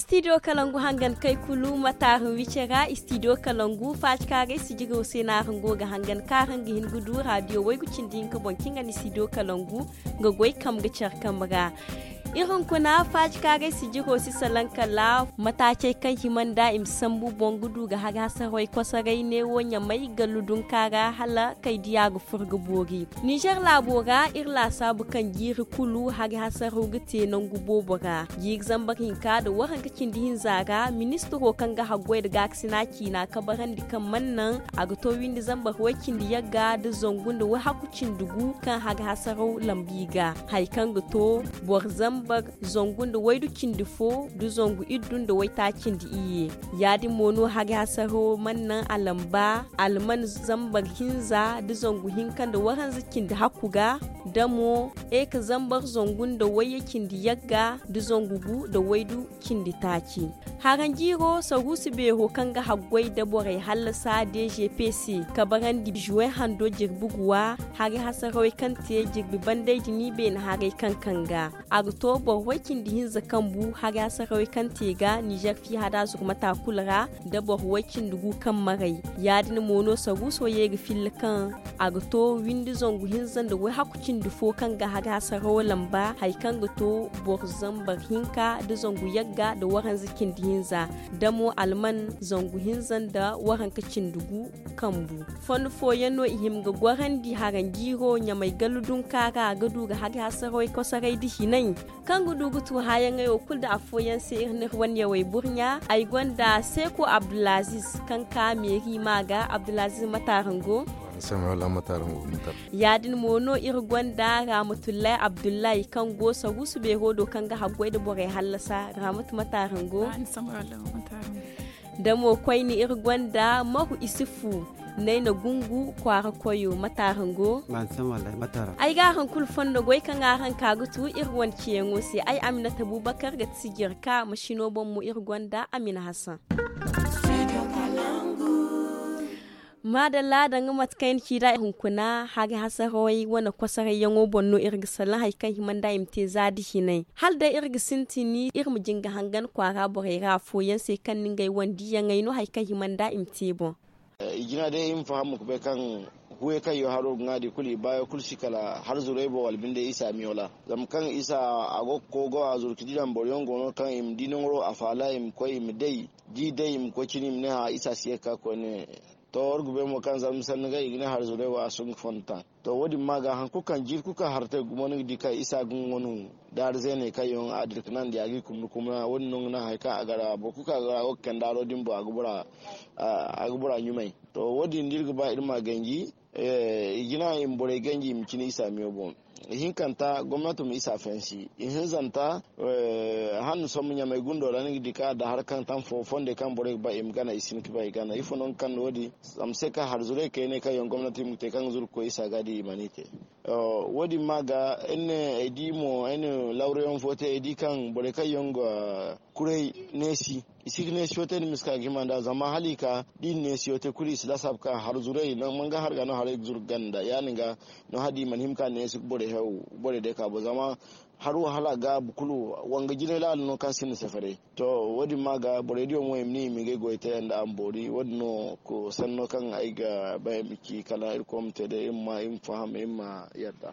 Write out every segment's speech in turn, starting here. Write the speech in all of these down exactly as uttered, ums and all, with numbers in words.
Istidiyo kalangu hangan kay kulu ma taaru wice ra. Istidiyo kalangu faacikaaray sijiro se no araŋ go ga hangan kaŋ araŋ ga hin ga du raadiyo waygu cindi hinka boŋ kaŋ ga ni istidiyo kalangu ga goy kambe care kambe ra. Iri hunkuna faacikaaray sijiro si salaŋ kala mataacey kaŋ hima nda i ma sambu boŋ ga du ga hari hasarawey kosoray neewo ɲamay gallu dunka ra hala kay diya ga furo ga boori. Nizer laabo ra iri laasaabu kaŋ jiiri kulu hari hasaraw ga te nangu boobo ra. Jiiri zambar hinka nda waranka cindi hinza ra ministiro kaŋ ga haggoy nda gaakasina ciina kabarandi kaŋ mana naŋ a ga to windi zambar way-cindi yagga nda zangu nda wayhakku cindi gu kaŋ hari hasaraw lambi ga hari kaŋ ga to boro zambar zangu nda waydu cindi fo nda zangu iddu nda waytaaci nda iyye. Ya-din mo no hari hasaraw mana naŋ a lamba alman zambar hinza nda zangu hinka nda waranza cindi hakku ga, da mo eka zambar zangu nda wayye cindi yagga nda zangu gu nda waydu cindi taaci. Haranjiiro saruusu beero kaŋ ga haggoy nda borey hallasa d g p se kabarandi juwen hando jirbi guwa hari hasarawey kaŋ te jirbi banday din i beene haray kaŋ kaŋ ga a ga to boro way-cindi hinza kaŋ bu hari hasarawey kaŋ te ga nizer fiihada zurmata kulu ra nda boro way-cindi gu kaŋ maray. Ya-din mo no saruuso ye ga filla kaŋ a ga to windi zangu hinza nda wayhakku cindi fo kaŋ ga hari hasarawo lamba hari kaŋ ga to boro zambar hinka nda zangu yagga nda waranza cindi hinza da mo alman zangu hinza nda waranka cindi gu kambu. Fondo fooyaŋ no i hima ga gorandi haranjiiro ɲamay gallu dunka ra ga du ga hari hasarawey kosoray nda hinay kaŋ ga du ga tu haayaŋey wo kulu nda afooyaŋ se iri n'iri wane yawey burɲa ay gonda seeko abdulaziz kaŋ ka meeri ma ga abdulaziz matarango. Ya-din mo no iri gonda ramatullahi abdullahi kaŋ go saruusu beero do kaŋ ga haggoy nda borey hallasa ramatu matarango. Da mo koyne iri gonda mahu isufu nayna gungu kwaara koyo matarango. Ay ga araŋ kulu fondo goy kaŋ araŋ ka ga tu iri wane ciyaŋo se ay aminata bubakar ga ti sijir ka masino boŋ mo iri gonda amina hasan. Maadalla danga mate kaŋ ay na ci nd'a hunkuna hari hasarawey wane kosorayyaŋo boŋ no iri ga salaŋ hari kaŋ hima nd'a i ma te za da hinay hala day iri ga sintin iri ma jinga hangan kwaara borey ra afooyaŋ se kaŋ na ngey wane diiyaŋey no hari kaŋ hima nd'a i ma te boŋ. I jina day iri ma faham ga bay kaŋ huwey kaŋ yo haro ga ŋwa di kulu i baayo kulu si kala har zuray boŋ wala binde isa miyola zama kaŋ isa a go ga kogo a zuru ga di daŋ boro yaŋ go no kaŋ i ma di naŋ ro a faala i ma koy i ma day da i day i ma koy cine i ma ne hã isa si ye ga ka koyne. To war ga bay mo kaŋ zarma sanni ga i ga ne har zuray wo a si nga fondo taŋ. To wo- din ma ga hari kulu kaŋ jiiri kulu kaŋ har te gumo ni ga di kaŋ isa ga nga wano daari zeeney kaŋ yaŋ a dira ga naŋ da ya ga i kumna kumna wo- din no ga naŋ hari kaŋ a gara boro kulu kaŋ a gara a go ga kande haro din boŋ a ga bora ɲumay. To wo- din da iri ga ba iri ma ganji i jina i ma borey ganji i ma cine isa miyo boŋ. Ihinkanta gomnato ma isa fansi ihinzanta handu sombu ɲamay gundo ra ni ga di kaŋ a da hari kaŋ taŋ fo fondey kaŋ borey ga ba i ma gana i si hin ga ba i gana ifo no ga kande wo- din zama se kaŋ hari zuray kayne kaŋ yaŋ gomnati ma te kaŋ ga zuru ga koy isa ga di i mana i te. Wo- din ma ga ay ne ay di mo ay na lawrayaŋ fo te ay di kaŋ borey kaŋ yaŋ ga kuray neesi i si ga neesiyo te nda miska ga hima nd'a zama hala i ka da i na neesiyo te kulu i si lasaaba kaŋ har zuray manga har ga no haray ga zuru ga ganda ya- din ga no hala da i mana hima ka neesi ga borey day ka boŋ zama har wahala gaabu kulu wanga jinay laala no kaŋ sinda sefere. To wo- din ma ga borey diyo mo i ma ne i ma ngey goy te nda a ma boori wo- din no sanno kaŋ ay ga bay ay ma ci kala irkoy ma te day iri ma faham iri ma yadda.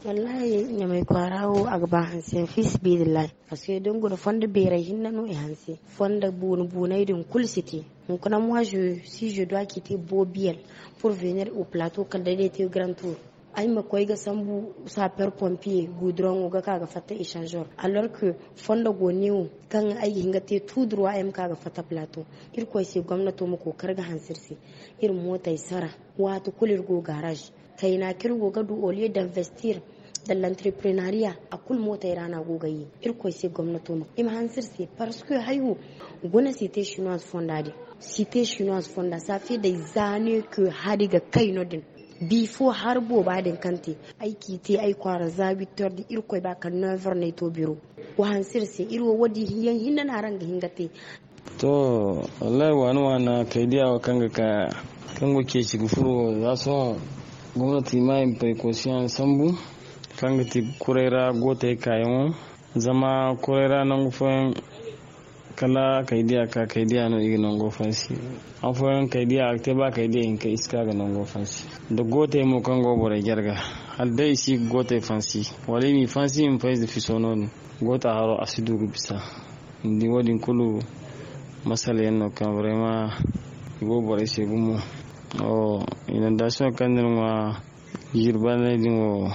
Wallahi ɲamay kwaara wo a ga ba hanse yaŋ fiisabilillahi. Parce que da ni guna fondo beeray hinne no i hanse fondo booni boonay din kulu si te. Hunkuna moi je si je dois quitter bobiyel pour venir au plateau kala day day te grand tour. Ay ma koy ga sambu sapeur pompier guduraŋo ga ka ga fatta échangeur alors que fondo go neewo kaŋ ay ga hin ga te tout droit ay ma ka ga fatta plateau. Irkoy se gomnato ma kookari ga hanse iri se iri mootey sara waati kulu iri go garage. Kayna kaŋ iri go ga du au lieu d'investir dans l'entrepreneuriat a kulu mootey ra no a go ga ye. Irkoy se gomnato ma i ma hanse iri se parce que hay wo guna cité chinoise fonda din. Cité chinoise fonda ça fait des années que hari ga kay no- din. Bifo hari booba din kaŋ te ay k'i te ay kwaara za huit heures da irkoy ba kala neuf heures no ay to biro. Wa hanse iri se iri wo wo- din yaŋ hinne no araŋ ga hin ga te. To wallahi waana waana kay diya wo kaŋ ga ka kaŋ go ceeci ga furo wo za sohõ gomnati ma i ma paykoosiyaŋ sambu kaŋ ga ti kuray ra gootey kaayaŋo. Zama kuray ra nangu fooyaŋ Kala kaydiya ka kaydiya no i ga nango fansi. Afooyaŋ kaydiya a ga te ba kaydiya hinka i si ka ga nango fansi. Da gootey mo kaŋ go borey jarga, hala day i si ga gootey fansi, wala i m'i fansi i ma fay ize fiso no- din. Goota haro a si du ga bisa. Ni di wo- din kulu masala yaŋ no kaŋ barayma i go borey se gumo. Inondasiyoŋ kaŋ ni na ŋwa jirbaney din wo,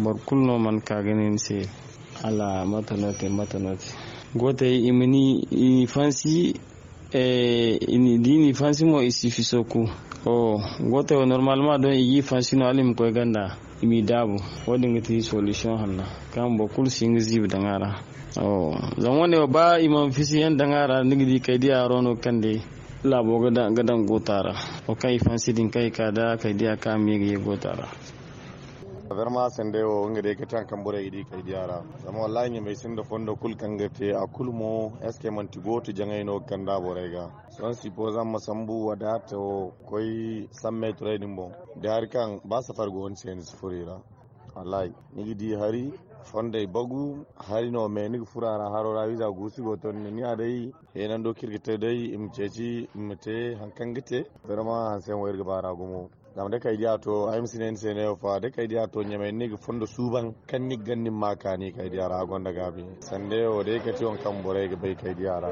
boro kulu no mana ka ga ne ni se, hala mate no te mate no te. Gootey i ma ni i fansi. Da i n'i fansi mo i si fiso ku. Gootey wo normal ma doŋ i g'i fansi no hala i ma koy ganda, i m'i daabu. Wo- din ga ti solution hanna kaŋ boro kulu si hin ga ziibi daŋ a ra. Zama wo- ne wo ba i mana fisi yaŋ daŋ a ra ni ga di kaydiya haro no kaŋ day laabo ga daŋ goota ra. Wo kaŋ i fansi din kaŋ i ka da kaydiya kaŋ a ma ye ga ye goota ra. Barma sandey wo nga day ga te hari kaŋ borey ga di kaydiya ra. Zama wallahi ɲamey sinda fondo kulu kaŋ ga te a kulu mo eske manti gooto jaŋay no ga kanda borey ga? Sohõ sipo zama ma sambu wadaata wo koy sammeeturay din boŋ. Da hari kaŋ ba safar go ni se ni si furo i ra. Wallahi ni ga di hari fondey bagu. Hari no me ni ga furo a ra haro ra wiiza guusu go to ni ne ni a day heenando kaŋ iri ga te day i ma ceeci i ma te hari kaŋ ga te. Barma hanse yaŋ wo iri ga ba ra gumo. Zama da kaydiya to ay ma si ne ni se neewo fa da kaydiya to ɲamay ni ga fondo suuban kaŋ ni ga ganda ni ma a kaani kaydiya ra a gonda gaabi. Sandey wo day kati waŋ kaŋ borey ga bay kaydiya ra.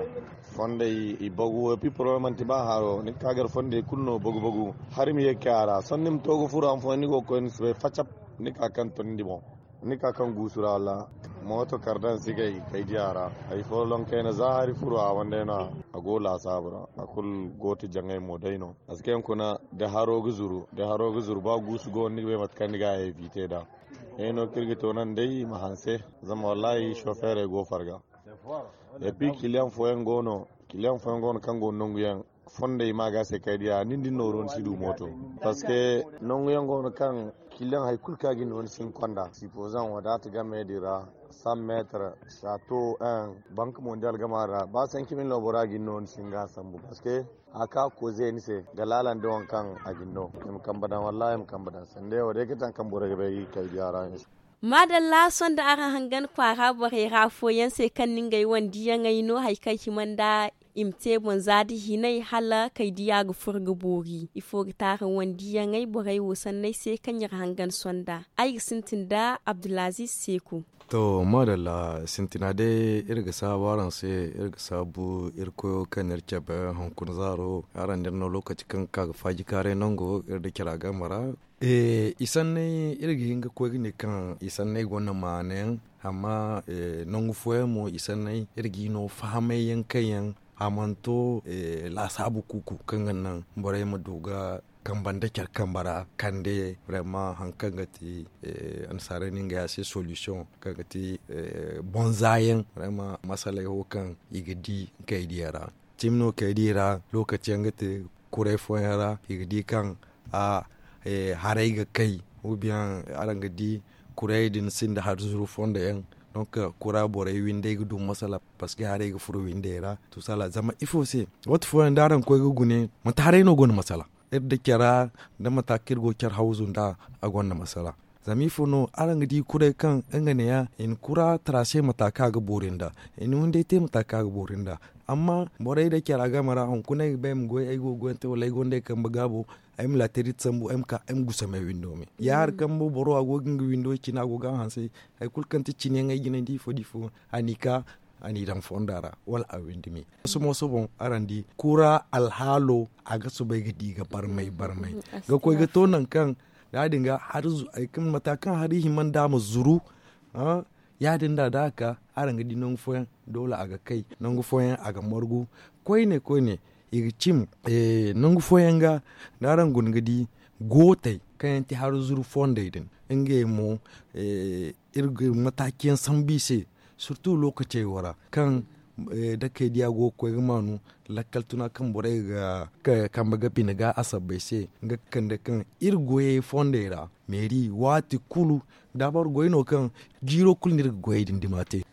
Fondey i bagu wo pi poroblem manti ba haro ni ga ka gar fondey kulu no bagu bagu. Hari ma ye ga kay a ra sohõ ni ma to ga furo han fooyaŋ ni go ga koy ni si bay facap. Ni ka kaŋ to ni di boŋ. Ni ka kaŋ guusu ra wala mooto kardaŋ si gay kaydiya ra. Hari fo loŋ kayna za hari furo a wandey no a go laasaabu ra. A kulu gooto jaŋay mo day no. Parce que yaŋ kuna da haro ga zuru da haro ga zuru ba guusu go no ni ga bay mate kaŋ ni ga a evite nd'a. Ay no kaŋ iri ga toonandi day i ma hanse. Zama wallahi sofeerey go farga. Et puis kiliyaŋ fooyaŋ go no kiliyaŋ fooyaŋ go no kaŋ go no nangu yaŋ fondey ma ga se kay diya nin din nooro ni si du mooto. Parce que nangu yaŋ go no kaŋ kiliyaŋ hari kulu kaŋ a ga ni no ni si hin konda sipozaŋ wadaata game din ra. Cent metre chateau un bank mondial gama ra ba cinq mille no bora ga ni no ni si hin ga a sambu parce que a ka koze ni se ga laalandi waŋ kaŋ a ga ni no. I ma kambe daŋ wallahi i ma kambe daŋ sanda yaŋ wo day ga taŋ kaŋ borey ga bay kay diya ra. Maadalla sohõ nda araŋ hangan kwaara borey ra afooyaŋ se kaŋ na ngey wane diyaŋey no hari kaŋ hima nda i ma te boŋ za da hinay hala kay diya ga furo ga boori ifo ga te araŋ wane diyaŋey borey wo sanney se kaŋ iri hangan sohõ nda ay ga sintin nda abdulaziz seeko. To maadalla sintina day iri ga saabu araŋ se iri ga saabu iri koyo kaŋ na iri cabe hunkuna zaaro araŋ da iri no lookaci kaŋ ga ka ga faaji kaaray nango iri nda cara game ra. I sanney iri ga hin ga koy ga ne kaŋ i sanney gonda maana yaŋ amma nangu fooyaŋ mo i sanney iri ga i no fahamay yaŋ kaŋ yaŋ a mana to laasaabu kuuku kaŋ ga naŋ borey ma du ga kambe nda care kambe ra kande vraiment hari kaŋ ga ti annasaarey no ngey a se solution kaŋ ga ti boŋ za yaŋ vraiment masaley wo kaŋ i ga di kay diya ra. Cimi no kay diya ra lookaci yaŋ ga te kuray fooyaŋ ra i ga di kaŋ a haray ga kay. Araŋ ga di kuray din sinda hari zuru fondo yaŋ. Donc kura borey windey ga du masala parce que haray ga furo windey ra. Tusala zama ifo se waati fooyaŋ da araŋ koy ga gune manti haray no gonda masala iri da cara da mata kaŋ iri go care hawzu nda a gonda masala. Zama ifo no araŋ ga di kuray kaŋ nga ne ya i na kura tara se mata kaŋ a ga boori nda i na windey te mata kaŋ a ga boori nda. Amma borey da care a game ra hunkuna ay ga ba ay ma goy ay go ga goy yaŋ te wala ay gonda ay kambe gaabo ay ma laatari sambu ay ma ka ay ma gusamay windo me ya hari kaŋ boro a go ga nga windo cine a go ga a hanse. Hari kulu kaŋ ti cine yaŋ ay jinay da ifo da ifo a n'i ka a n'i daŋ fonda ra wala a windi me. Soso mo soso boŋ araŋ di kura alhaalo a ga soobay ga di ga barmay barmay ga koy ga to nangu kaŋ ya- din ga hari zuru mata kaŋ hari hima nda a ma zuru. Ya- din da da a ka araŋ ga di nangu fooyaŋ doole a ga kay nangu fooyaŋ a ga margu koyne koyne i ga cim. Nangu fooyaŋ ga da araŋ guna ga di gootey kaŋ yaŋ ti hari zuru fondey din ngey mo iri ga mataaki yaŋ sambu i se surtu lookacey wo ra kaŋ dakey diya go ga koy ga maanu lakkal tuna kaŋ borey ga kambe ga bine ga a sabbay se nga ga kande kaŋ iri goyey fondey ra meeri waati kulu da boro goy no kaŋ jiiro kulu no iri ga goyey din dima te.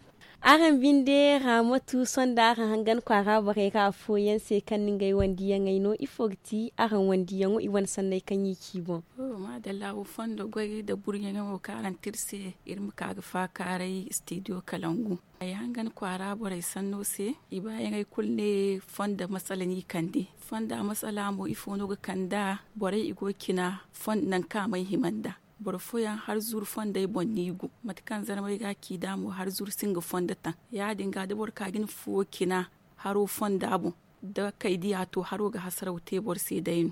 Araŋ binde, raamatu sonda araŋ hangan kwaara borey ra afooyaŋ se kaŋ na ngey wandiyaŋey no ifo ga ti araŋ wandiyaŋo i wane sanney kaŋ i ci boŋ? Madalla wo fondo goy da burɲaŋey wo kaŋ araŋ te iri se. Iri ma ka ga faakaaray istidiyo kalangu. Ay hangan kwaara borey sanno se. I baayaŋey kulu ne fondo masala no i kande. Fonda masala mo ifo no ga kand'a? Borey i go ga cina nangu kaŋ a may hima nd'a. Boro fooyaŋ hari zuru fondey boŋ no i go. Mate kaŋ zarmey ga a ci nd'a mo hari zuru sinda fondo taŋ. Ya- din ga da boro ka ga ni fuwo cina haro fonda boŋ, da kay diya to haro ga hasaraw te boro se day no.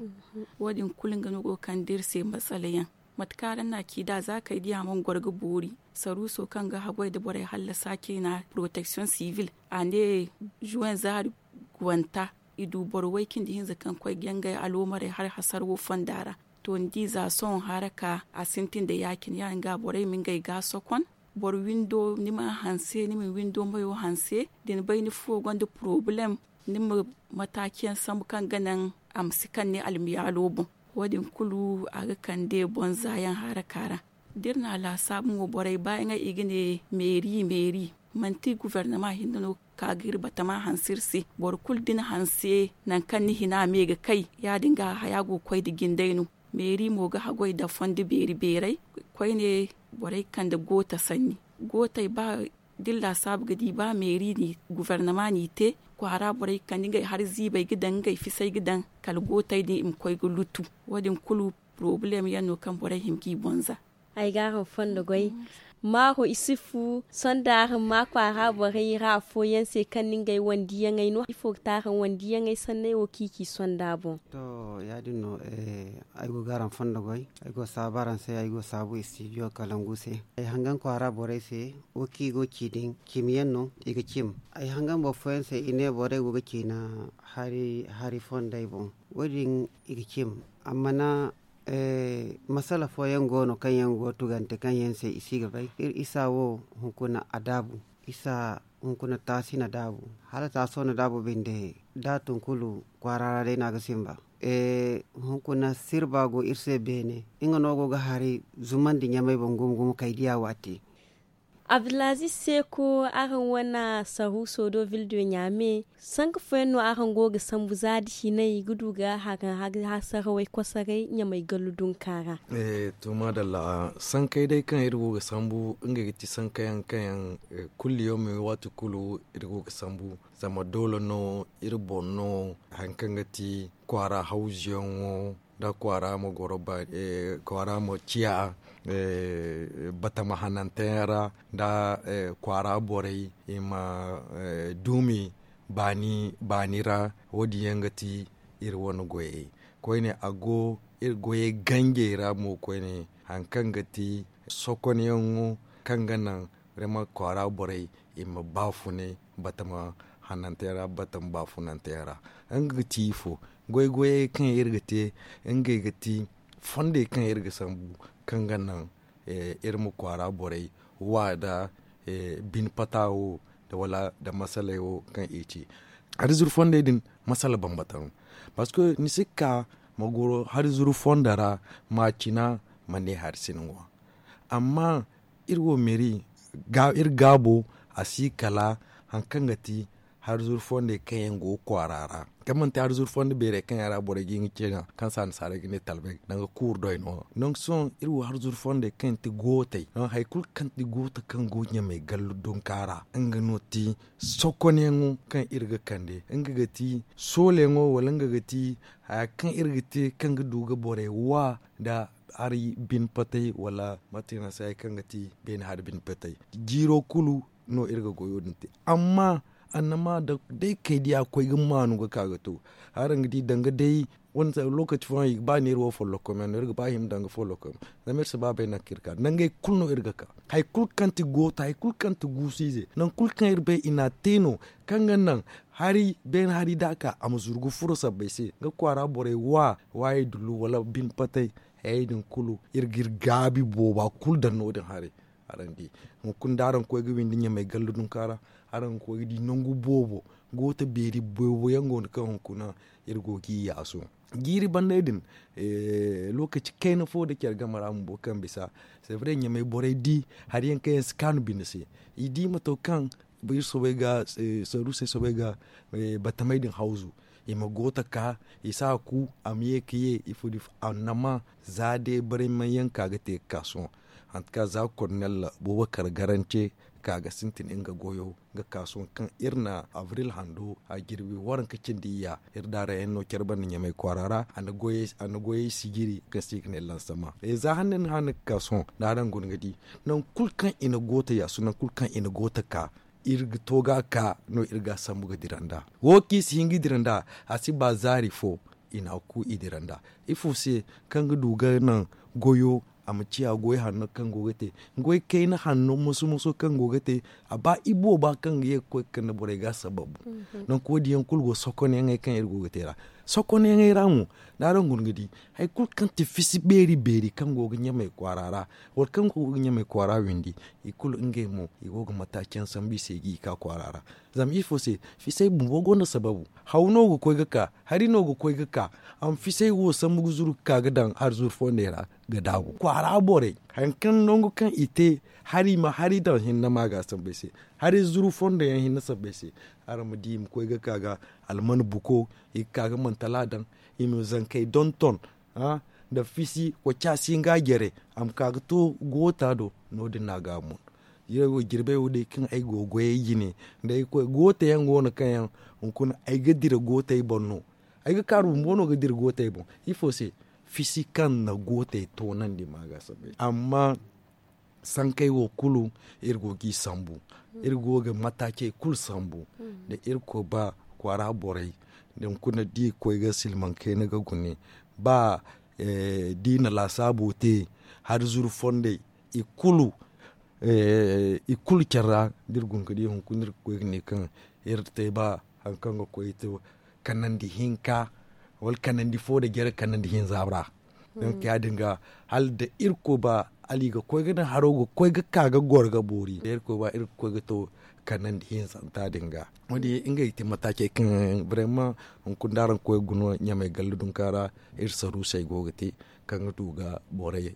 Wo- din kulu nga no go ga kande iri se masala yaŋ. Mate kaŋ araŋ na a ci nd'a za kay diya mana goro ga boori. Saruuso kaŋ ga haggoy nda borey hallasa cina poroteksiyoŋ sivil a ne, zuwen zaari gwanta i du boro way cindi hinza kaŋ koy ga ngey aloomarey hari hasara wo fonda ra. To ni di za sohõ haraka a sintin nda ya- cine ya- din ga borey ma ngey ga sokon. Boro windo ni m'a hanse ni ma ni windo mayo hanse. Da ni bay ni fuwo gonda porobalem, ni ma mataaci yaŋ sambu kaŋ ga naŋ a ma si kaŋ ni almiyaalo boŋ. Wo- din kulu a ga kande bonza yaŋ haraka ra. Da iri na a laasaabu mo borey baayaŋey i ga ne meeri meeri. Manti gufornama hinne no ka ga iri batama hanse iri se. Boro kulu da ni hanse nangu kaŋ ni hina me ga kay, ya- din ga haya go ga koy nda jindey no. Meeri mo ga haggoy nda fondo beeri beerey. Koyne borey kande goota sanni. Gootey ba da iri laasaabu ga di ba meeri no gufornama no i te, kwaara borey ga kande ngey hari ziibey ga daŋ ngey fisey ga daŋ, kala gootey din i ma koy ga lutu. Wo- din kulu porobalem yaŋ no kaŋ borey hima g'i bonza. Ay ga araŋ fondo goy. Maaro isufu sonda araŋ ma kwaara borey ra afooyaŋ se kaŋ na ngey wandiyaŋey no ifo ga ti araŋ wandiyaŋey sanney wo kaŋ i ci sonda boŋ? To, ya- din no. Ay go ga araŋ fondo goy. Ay go saabu araŋ se ay go saabu istidiyo kalangu se. Ay hangan kwaara borey se wo kaŋ i go ga ci din cimi yaŋ no i ga cim. Ay hangan boro fooyaŋ se i ne borey go ga ciina hari fondey boŋ. Wo- din i ga cim. Amma na masala fooyaŋ go no kaŋ yaŋ go ga tugante kaŋ yaŋ se i si ga bay iri isa wo hunkuna a daabu. Isa hunkuna taasi na daabu hala taaso na daabu binde. Da a tun kulu kwaara ra day no a ga sinba. Hunkuna sirba go iri se beene. Nga no go ga hari zumandi ɲamey boŋ gumo gumo kay diya waati. Abdulaziz seeko, araŋ wane saruuso do vildo ɲaame. Sanka fooyaŋ no araŋ go ga sambu za da hinay ga du ga haraŋ hari hasarawey kosoray ɲamey gallu dunka ra? To maadalla, sankey day kaŋ iri go ga sambu ngey ga ti sankayaŋ kaŋ yaŋ kulli yawmi waati kulu iri go ga sambu. Zama doole no iri boŋ no hari kaŋ ga ti kwaara hawzuyaŋo, nda kwaara ma goro kwaara ma ciya batama hananteyaŋ ra, nda kwaara borey i ma duumi baani ra. Wo- din yaŋ ga ti iri wane goyey. Koyne a go iri goyey ganjey ra mo koyne hari kaŋ ga ti sokonyaŋo kaŋ ga naŋ rema kwaara borey i ma baafune batama hananteyaŋ ra batama baafunanteyaŋ ra. Nga ga ti ifo? Goy goyey kaŋ iri ga te ngey ga ti fondey kaŋ iri ga sambu kaŋ ga naŋ iri ma kwaara borey wa nda bine pata wo nda wala nda masaley wo kaŋ i ci. Hari zuru fondey din masala bambata no. Parceque ni si ka ma goro hari zuru fondo ra ma cina ma ne hari si ni ŋwa. Amma iri wo meeri iri gaabo a si kala hari kaŋ ga ti hari zuru fondey kaŋ yaŋ go ga kwaara ra. Kaŋ manti hari zuru fondo beerey kaŋ yaŋ ra borey ga hin ga cina kaŋ se annasaarey ga ne talbay danga kuuru doy no. Nangu sohõ iri wo hari zuru fondey kaŋ ti gootey nangu hari kulu kaŋ ti goota kaŋ go ɲamey gallu dunka ra nga no ti sokonyaŋo kaŋ iri ga kande nga ga ti soolayaŋo wala nga ga ti haya kaŋ iri ga te kaŋ ga du ga borey wa nda hari bine patay wala mate no a si haya kaŋ ga ti beene hari bine patay. Jiiro kulu no iri ga goyo din te. Amma annama da day kay diya koy ga maanu ga ka ga to araŋ ga di danga day wani lokaci fooyaŋ ba neeri wo follokom yaŋ no iri ga ba hima danga follokom. Zama iri si ba bay nangu kaŋ iri ka nangey kulu no iri ga ka hari kulu kaŋ ti goota hari kulu kaŋ ti guusu ize nangu kulu kaŋ iri bay i n'a te no kaŋ ga naŋ hari beene hari da a ka a ma zuru ga furo sabbay se nga kwaara borey wa waayey dullu wala bine patay. Hayey din kulu iri ga iri gaabi booba kulu daŋ no- din haray. Araŋ di hunkuna da araŋ koy ga windi ɲamey gallu dunka ra araŋ ga koy ga di nangu boobo goota beeri boobo yaŋ go no kaŋ hunkuna iri go ga i yaaso. Jiiri banday din lokaci kayna fo da care game ra bumbo kaŋ bisa sevre ɲamey borey di hari yaŋ kaŋ yaŋ si kaanu binde se i di mato kaŋ iri soobay ga saruusey soobay ga batamey din hawzu. I ma goota ka i si a ku a ma ye ka ye ifo da ifo annama za day barayma yaŋ ka ga te ga ka sohõ. Hantu ka za kornel boobo kar garance ka ga sintin nga goyo ga ka sohõ kaŋ iri na abril hando a jirbi waranka cindi iyya. Iri daara yaŋ no care banda ɲamay kwaara ra a na goyey sijiri kaŋ se i ga ne lansama za hanne ni hanne ga ka sohõ da araŋ guna ga di nangu kulu kaŋ i na goota yaasu nangu kulu kaŋ i na goota ka iri ga to ga ka no iri ga a sambu ga dira nd'a. Wo kaŋ i si hin ga dira nd'a a si ba zaari fo i na a ku i dira nd'a. Ifo se kaŋ ga du ga naŋ goyo a ma ciya goy hanno kaŋ go ga te goy kayna hanno moso moso kaŋ go ga te a ba ibooba kaŋ ga ye ga koy ga kande borey ga a sababu. Nangu wo- din yaŋ kulu go sokonyaŋey kaŋ iri go ga te ra sokonyaŋey ra mo da araŋ guna ga di hari kulu kaŋ ti fisi beeri beeri kaŋ go ga ɲamay kwaara ra wala kaŋ go ga ɲamay kwaara windi i kulu ngey mo i go ga mataaci yaŋ sambu i se ga i ka kwaara ra. Zama ifo se fisey bumbo gonda sababu haw no ga koy ga ka hari no ga koy ga ka a ma fisey wo sambu ga zuru ga ka ga daŋ hari zuru fondey ra ga daabu kwaara borey hari kaŋ nangu kaŋ i te hari ma hari daŋ hinne ma ga sambu ay se hari zuru fondo yaŋ hinne sambu ay se. Araŋ ma di i ma koy ga ka ga alman buko i ga ka ga mantala daŋ i ma zankey donton nda fisi koca si nga jere a ma ka ga to goota do. No- din no a ga a mun jirbey wo day kaŋ ay go ga goyey jine da ay koy goota yaŋ go no kaŋ yaŋ hunkuna ay ga dira gootey boŋ no. Ay ga kaaru bumbo no ga dira gootey boŋ ifo se fisi kaŋ na gootey toonandi ma ga sabbay amma sankey wo kulu iri go ga i sambu iri go ga mataacey kulu sambu da irkoy ba kwaara borey da hunkuna da i koy ga silmaŋ kayna ga gune ba da i na laasaabo te hari zuru fondey i kulu care ra da iri guna ga di hunkuna iri ga koy ga ne kaŋ iri te ba hari kaŋ ga koy to kanandi hinka wala kanandi fo nda jare kanandi hinza ra. Donk ya- din ga hala da irkoy ba hala i ga koy ga naŋ haro ga koy ga ka ga goro ga boori da irkoy ba iri ga koy ga to kanandi hinzanta din ga. Wo- din ngey ga te mataacey kaŋ brema hunkuna da araŋ koy ga guna ɲamay galle dunka ra iri saruusey go ga te kaŋ ga du ga borey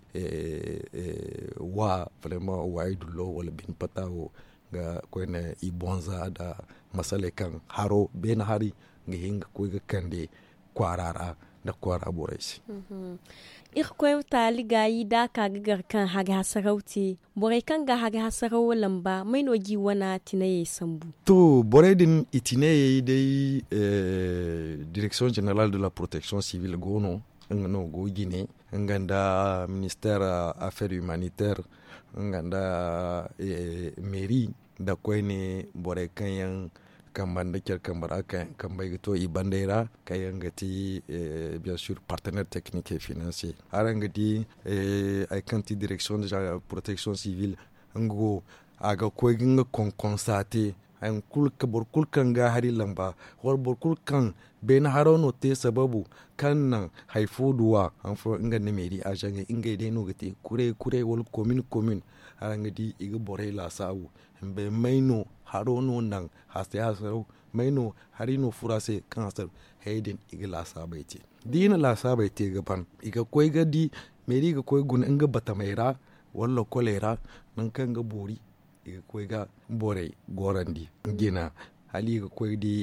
wa brema waayey dullo wala bine pata wo ga koyne i bonza nda masaley kaŋ haro beene hari ga hin ga koy ga kande kwaara ra nda kwaara borey se. Irkoy taali gaayi da a ka ga gar kaŋ haga hasaraw te borey kaŋ ga haga hasaraw lamba may no ga i wana tinayey sambu? To borey din i tinayey day direksiyoŋ jeneral de la proteksiyoŋ sibil go no nga no go jine nga nda minister affaire humanitaire nga nda meri nda koyne borey kaŋ yaŋ kamba nda care kamba ra kaŋ yaŋ kambey ga to i bandey ra kaŋ yaŋ ga ti bien sûr partenaire technique et financier araŋ ga di hari kaŋ ti direction de protection civile nga wo a ga koy ga nga konkonsa te. Boro kulu kaŋ ga hari lamba wala boro kulu kaŋ beene haro no te sababu kaŋ naŋ hari fo duwa han fo nga nda meeri azaŋey ngey day no ga te kuray kuray wala komin komin. Araŋ ga di i ga borey laasaabu may no haro no naŋ hasay hasaraw may no hari no furo a se kaŋ hasaraw hayey din i ga laasaabey te. Da i na laasaabey te ga ban i ga koy ga di meeri ga koy guna nga batamey ra wala lokoley ra nangu kaŋ ga boori i ga koy ga borey gorandi jina hala i ga koy ga di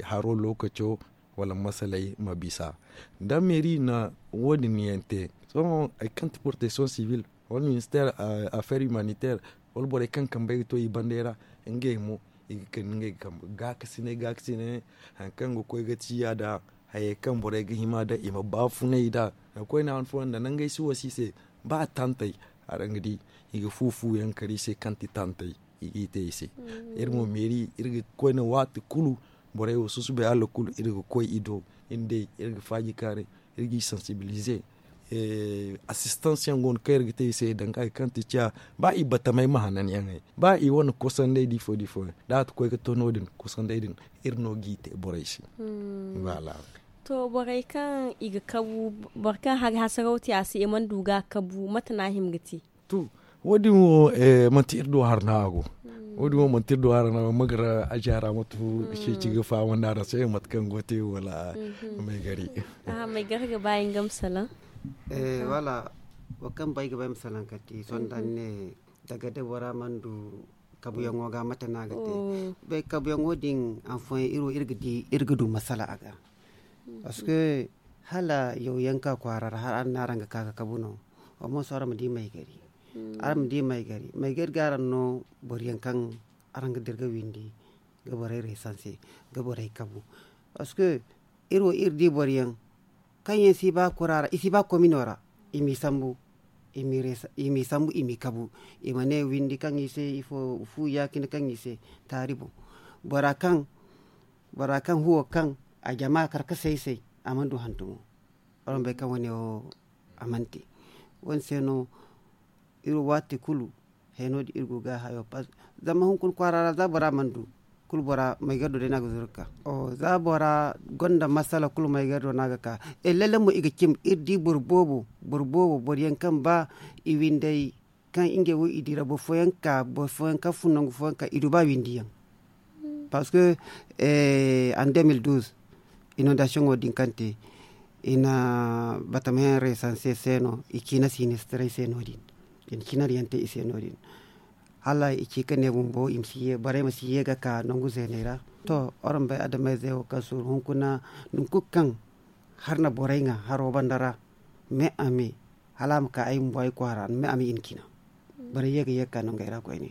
haro lookaco wala masaley ma bisa. Da meeri na wo- din yaŋ te sohõ hari kaŋ ti protection civil wala minister affaire humanitaire wala borey kaŋ kambey ga to i bandey ra ngey mo i ga kande ngey ga kambe gaakasinay gaakasinay hari kaŋ ga koy ga ciya nda hayey kaŋ borey ga hima nda i ma baafunay nd'a. Koyne han fooyaŋ nda nangey si wasi i se ba tantey araŋ ga di i ga fu fu yaŋ kar i se kaŋ ti tantey i g'i te i se. Iri mo meeri iri ga koyne waati kulu borey wo susubay hala kulu iri ga koy i do iri day iri ga faaji kaaray iri g'i sensibilize. Assistance yaŋ go no kaŋ iri ga te i se danga hari kaŋ ti ciya ba i batamey ma hananyaŋey ba i wane kosandey da ifo da ifo yaŋ da a ti koy ga to no- din kosandey din iri no g'i te borey se. Voilà. To borey kaŋ i ga kabu boro kaŋ hari hasaraw te a se i mana du ga a kabu mate no a hima ga te? To wo- din wo manti iri do hari no a go. Wo- din wo manti iri do hari no a go magara a jaara matu ceeci ga fahamandi araŋ se mate kaŋ go te wala maygari. Maygari ga ba nga ma salaŋ. Wala wo kaŋ bay ga bay ma salaŋ kala te sohõ da ni ne daga day bora mana du kabuyaŋo ga mate no a ga te. Bay kabuyaŋo din anfoyaŋ iri wo iri ga du masala a ga. Parce que hala yaw yaŋ ka kwaara ra hala araŋ na araŋ ga ka ga kabu no. Wa mo sohõ araŋ ma di maygari. Araŋ ma di maygari maygari ga araŋ no boro yaŋ kaŋ araŋ ga dira ga windi ga borey reesanse ga borey kabu. Parce que iri wo iri di boro yaŋ kaŋ yaŋ si ba kura ra i si ba komino ra i m'i sambu i m'i kabu. I ma ne windi kaŋ i se ifo fu ya- cine kaŋ i se taari boŋ. Bora kaŋ huwo kaŋ a jama kar ka say say a mana du hantumo. Araŋ bay kaŋ wane wo a mana te. Wane se no iri wo waati kulu heno din iri go ga hayo pas. Zama hunkuna kwaara ra za bora mana du kulu bora maygardo day no a ga zuru ga ka. Za bora gonda masala kulu maygardo no a ga ka. Lalle mo i ga cim iri di boro boobo boro boobo boro yaŋ kaŋ ba i windey kaŋ ngey wo i dira boro fooyaŋ ka boro fooyaŋ kaŋ fun nangu fooyaŋ ka i du ba windi yaŋ. Parce que en deux mille douze inondation wo din kaŋ te i na batamayaŋ reesanse se no i ciina sinistrey se no- din i na ciinaryaŋ te i se no- din. Hala i ci ka ne bumbo i ma si ye borey ma si ye ga ka nangu zeeney ra. To araŋ bay adamayzey wo kaŋ suuru hunkuna nangu kulu kaŋ har na borey ŋwa haro banda ra me a me hala a ma ka ay bumbo ay kwaara me a me i na ciina. Borey ye ga ye ga ka nangey ra koyne.